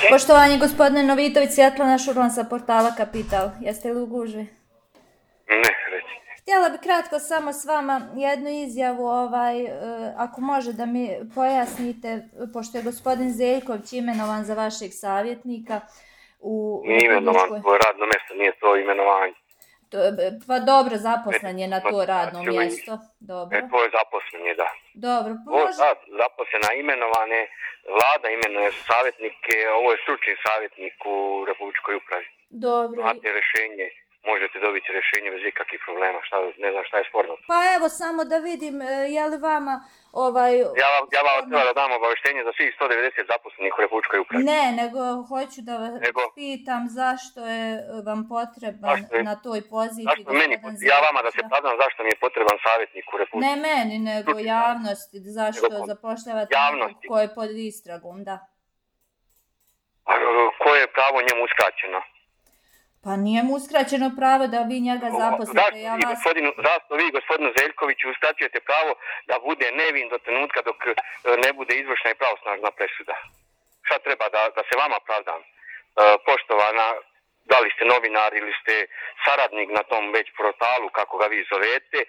Poštovanje gospodine Novitović, Svjetlana Šurlan sa portala Kapital. Jeste li u gužvi? Ne, reci. Htjela bi kratko samo s vama jednu izjavu, ako može da mi pojasnite, pošto je gospodin Zeljković imenovan za vašeg savjetnika u Nije imenovan, to je radno mjesto, nije to imenovanje. Pa dobro, zaposlen je na to radno mjesto. Dobro. To je zaposlen je, da. Dobro. Zaposlena, imenovane, vlada imenuje savjetnike, ovo je stručni savjetnik u Republičkoj upravi. Dobro. Imate rješenje, možete dobiti rješenje bez ikakvih problema, ne znam šta je sporno. Pa evo, samo da vidim, je li vama Ja vam treba da dam obavještenje za svih 190 zaposlenih u Republičkoj upravi. Ne, nego hoću da vas pitam zašto je vam potreban na toj poziciji. Ja vama da se pravdam zašto mi je potreban savjetnik u Republičkoj upravi. Ne meni, nego javnosti, zašto zapošljavate nekog ko je pod istragom, da. A koje je pravo njemu uskraćeno? Pa nije mu uskraćeno pravo da vi njega zaposlite. Zašto vi, gospodinu Zeljkoviću, uskraćujete pravo da bude nevin do trenutka dok ne bude izvršna i pravosnažna presuda? Šta treba da se vama pravdam? Poštovana, da li ste novinar ili ste saradnik na tom već portalu, kako ga vi zovete,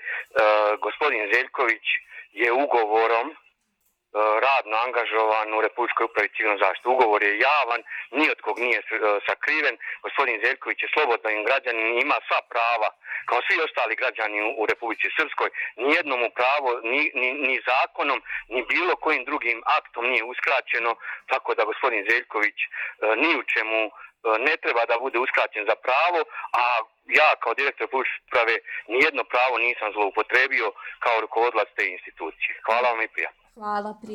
gospodin Zeljković je ugovorom radno angažovan u Republičkoj upravi civilne zaštite. Ugovor je javan, ni od kog nije sakriven. Gospodin Zeljković je slobodan građanin, ima sva prava, kao svi ostali građani u Republici Srpskoj. Nijednom mu pravo, ni zakonom, ni bilo kojim drugim aktom nije uskraćeno, tako da gospodin Zeljković ni u čemu ne treba da bude uskraćen za pravo, a ja kao direktor Republičke uprave nijedno pravo nisam zloupotrebio kao rukovodilac te institucije. Hvala vam i prijatno. Hvala.